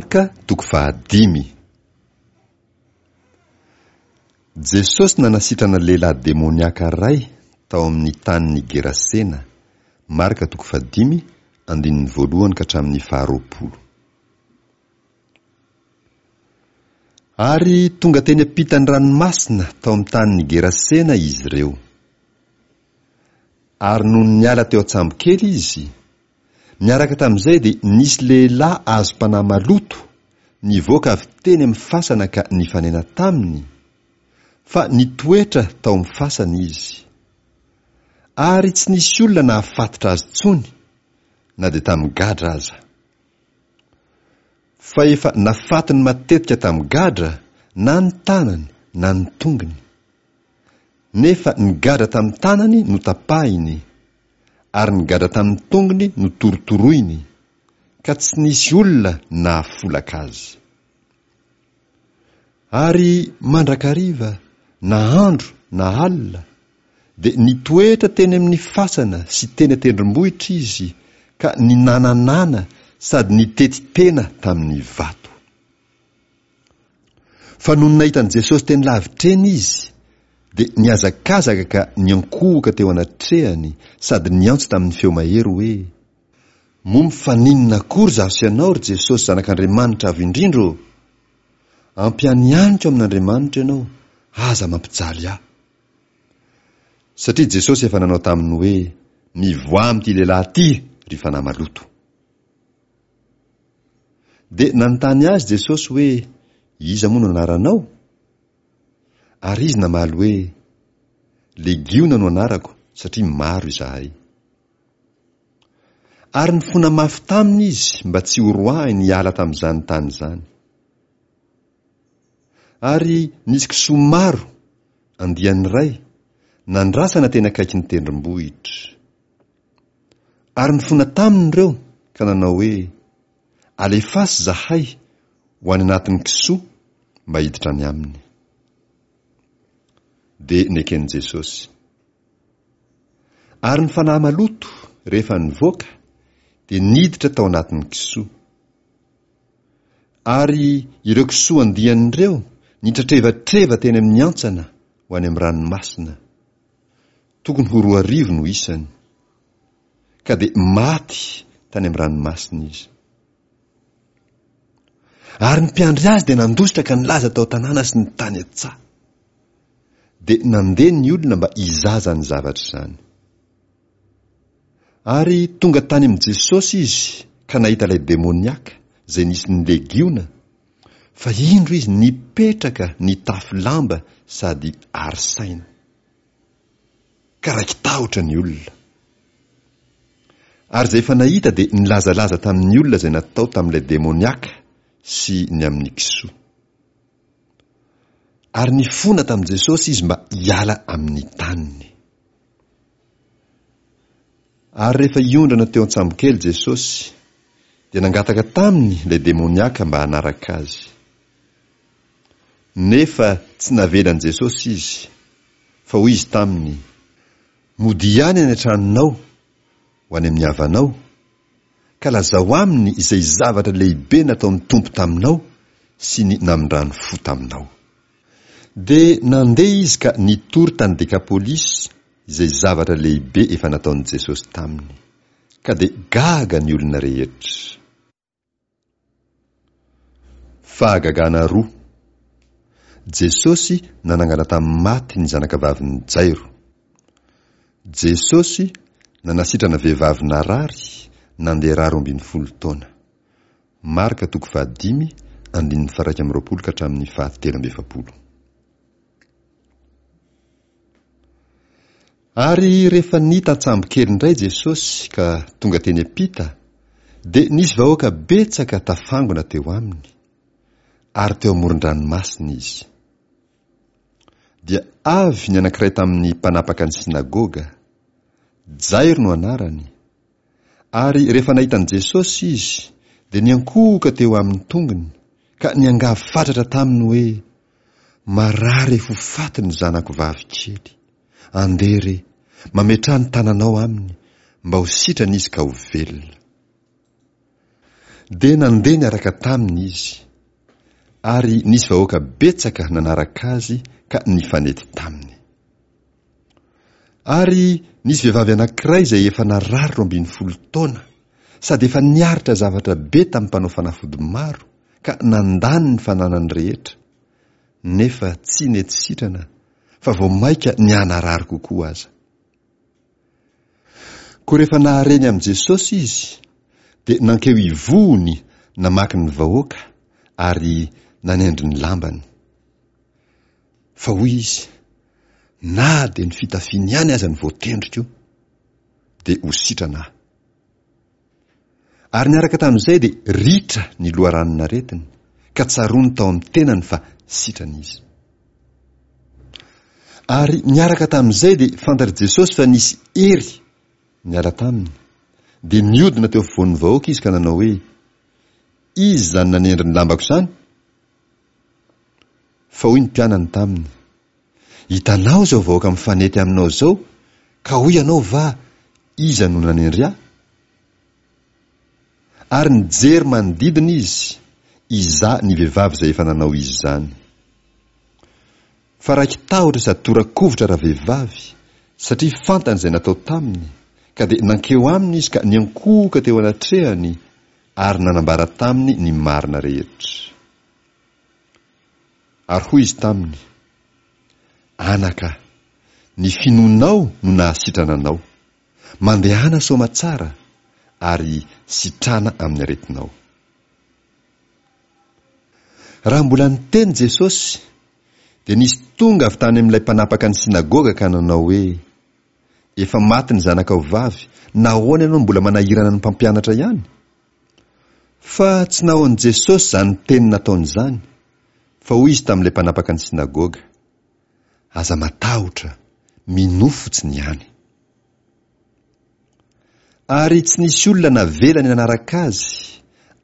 Marka toko fahadimy. Jesosy nanasitrana lehilahy demoniaka iray tao amin'ny tanin'i Gerasena, Marka toko fahadimy, andininy voalohany ka hatramin'ny faharoapolo. Ary tonga teny ampitan'ny ranomasina tao amin'ny tanin'i Gerasena izy ireo. Ary nony niala teo an-tsambokely izy, niaraka tamin'izay dia nisy lehilahy azom-panahy maloto nivoaka avy teny amin'ny fasana ka nifanena taminy, fa nitoetra tao amin'ny fasana izy. Ary tsy nisy olona nahafatotra azy intsony, na dia tamin'ny gadra aza. Fa efa nafatiny matetika tamin'ny gadra na ny tanany na ny tongony. Nefa ny gadra tamin'ny tanany notapahiny, ary ny gadra tamin'ny tongony notorotoroiny, ka tsy nisy olona nahafolaka azy. Ary mandrakariva, na andro na alina, dia nitoetra teny amin'ny fasana sy teny an-tendrombohitra izy ka ninananana sady nitety tena tamin'ny vato. Fa nony nahita an'i Jesosy teny lavitra eny izy, dia nihazakazaka ka niankohoka teo anatrehany sady niantso tamin'ny feo mahery hoe, Moa mifaninona akory izaho sy ianao, ry Jesosy Zanak'Andriamanitra Avo Indrindra ô? Ampianianiko amin'Andriamanitra ianao, aza mampijaly ahy. Satria Jesosy efa nanao taminy hoe, Mivoaha amin'ity lehilahy ity, ry fanahy maloto. Dia nanontany azy Jesosy hoe, Iza moa no anaranao? Ary izy namaly hoe, Legiona no anarako, satria maro izahay. Ary nifona mafy taminy izy mba tsy horoahiny hiala tamin'izany tany izany. Ary nisy kisoa maro, andiany iray, nandrasana teny akaikin'ny tendrombohitra. Ary nifona taminy ireo ka nanao hoe, Alefaso izahay ho any anatin'ny kisoa mba hiditra any aminy. Dia neken'i Jesosy. Ary ny fanahy maloto, rehefa nivoaka, dia niditra tao anatin'ny kisoa. Ary ireo kisoa andiany ireo nitratrevatreva teny amin'ny hantsana ho any amin'ny ranomasina. Tokony ho 2000 no isany. Ka dia maty tany amin'ny ranomasina izy. Ary ny mpiandry azy dia nandositra ka nilaza tao an-tanàna sy ny tany an-tsaha. Dia nandeha ny olona mba hizaha izany zavatra izany. Ary tonga tany amin'i Jesosy izy ka nahita ilay demoniaka izay nisy ny legiona, fa indro izy nipetraka nitafy lamba sady ary saina. Ka raiki-tahotra ny olona. Ary izay efa nahita dia nilazalaza tamin'ny olona izay natao tamin'ilay demoniaka sy ny amin'ny kisoa. Ary nifona tamin'i Jesosy izy mba hiala amin'ny taniny. Ary rehefa hiondrana teo an-tsambokely Jesosy, dia nangataka taminy ilay demoniaka mba hanaraka azy. Nefa tsy navelan'i Jesosy izy, fa hoy izy taminy, Modia ihany any an-tranonao, ho any amin'ny havanao, ka lazao aminy izay zavatra lehibe nataon'ny Tompo taminao sy ny namindrany fo taminao. Dia nandeha izy ka nitory tany Dekapolisy izay zavatra lehibe efa nataon'i Jesosy taminy. Ka dia gaga ny olona rehetra. Fahagagana roa. Jesosy nanangana tamin'ny maty ny zanakavavin'i Jairo. Jesosy nanasitrana vehivavy narary nandeha ra 12 taona. Marka toko fahadimy andininy faha-21 ka hatramin'ny faha-43. Ary rehefa nita an-tsambokely indray Jesosy ka tonga teny am-pita, dia nisy vahoaka betsaka tafangona teo aminy, ary teo amoron-dranomasina izy. Dia avy ny anankiray tamin'ny mpanapaka ny synagoga, Jairo no anarany, ary rehefa nahita an'i Jesosy izy, dia niankohoka teo amin'ny tongony, ka niangavy fatratra taminy hoe, Marary ho faty ny zanako vavy kely. Andeha re, mametraha ny tananao aminy, mba ho sitrana izy ka ho velona. Dia nandeha niaraka taminy izy. Ary nisy vahoaka betsaka nanaraka azy ka nifanety taminy. Ary nisy vehivavy anankiray izay efa narary 12 taona, sady efa niaritra zavatra be tamin'ny mpanao fanafody maro, ka nandany ny fananany rehetra, nefa tsy nety sitrana, fa vao mainka nihanarary kokoa aza. Koa rehefa nahare ny amin'i Jesosy izy, dia nankeo ivohony namaky ny vahoaka ary nanendry ny lambany. Fa hoy izy, Na dia ny fitafiany ihany aza no voatendriko, dia ho sitrana aho. Ary niaraka tamin'izay dia ritra ny loharanon'aretiny, ka tsaroany tao amin'ny tenany fa sitrana izy. Ary niaraka tamin'izay dia fantatr'i Jesosy fa nisy hery niala taminy, dia niodina teo afovoan'ny vahoaka izy ka nanao hoe, Iza izany nanendry ny lambako izany? Fa hoy ny mpianany taminy, Hitanao izao vahoaka mifanety aminao izao, ka hoy ianao va, Iza no nanendry ahy? Ary nijery manodidina izy, hizaha ny vehivavy izay efa nanao izany. Fa raiki-tahotra sady tora-kovitra ravehivavy, satria fantany izay natao taminy, ka dia nankeo aminy izy ka niankohoka teo anatrehany ary nanambara taminy ny marina rehetra. Ary hoy izy taminy, Anaka, ny finoanao no nahasitrana anao. Mandehana soamatsara, ary sitrana amin'ny aretinao. Raha mbola niteny Jesosy, dia nisy tonga avy tany amin'ilay mpanapaka ny synagoga ka nanao hoe, Efa maty ny zanakao vavy, nahoana ianao no mbola manahirana ny mpampianatra ihany? Fa tsy nahoan'i Jesosy izany teny nataony izany, fa hoy izy tamin'ilay mpanapaka ny synagoga, Aza matahotra, minoa fotsiny ihany. Ary tsy nisy olona navelany nanaraka azy,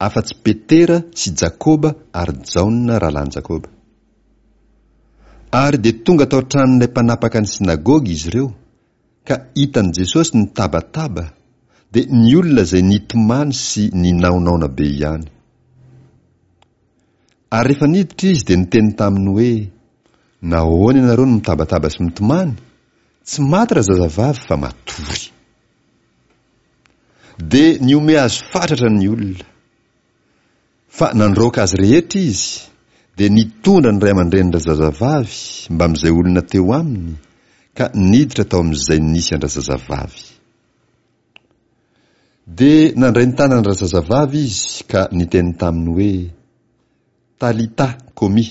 afa-tsy Petera sy Jakoba ary Jaona rahalahin'i Jakoba. Ary dia tonga tao an-tranon'ilay mpanapaka ny synagoga izy ireo, ka hitan'i Jesosy nitabataba, dia ny olona izay nitomany sy ninaonaona be ihany. Ary rehefa niditra izy dia niteny taminy hoe, Nahoana ianareo no mitabataba sy mitomany? Tsy maty razazavavy fa matory. Dia nihomehy azy fatratra ny olona. Fa nandroaka azy rehetra izy, dia nitondra ny ray aman-drenin-drazazavavy mbamin'izay olona teo aminy, ka niditra tao amin'izay nisy an-drazazavavy. Dia nandray ny tanan-drazazavavy izy ka niteny taminy hoe, Talita komi,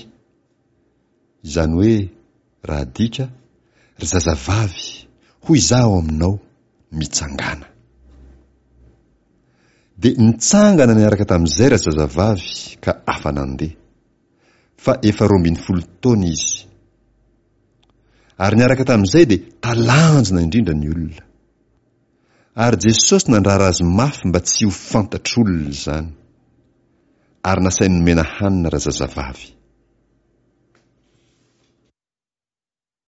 izany hoe, raha adika, Ry zazavavy, hoy izaho aminao, mitsangàna. Dia nitsangana niaraka tamin'izay razazavavy ka afa-nandeha. Fa efa 12 taona izy. Ary niaraka tamin'izay dia talanjona indrindra ny olona. Ary Jesosy nandrara azy mafy mba tsy ho fantatr'olona izany. Ary nasainy nomena hanina razazavavy.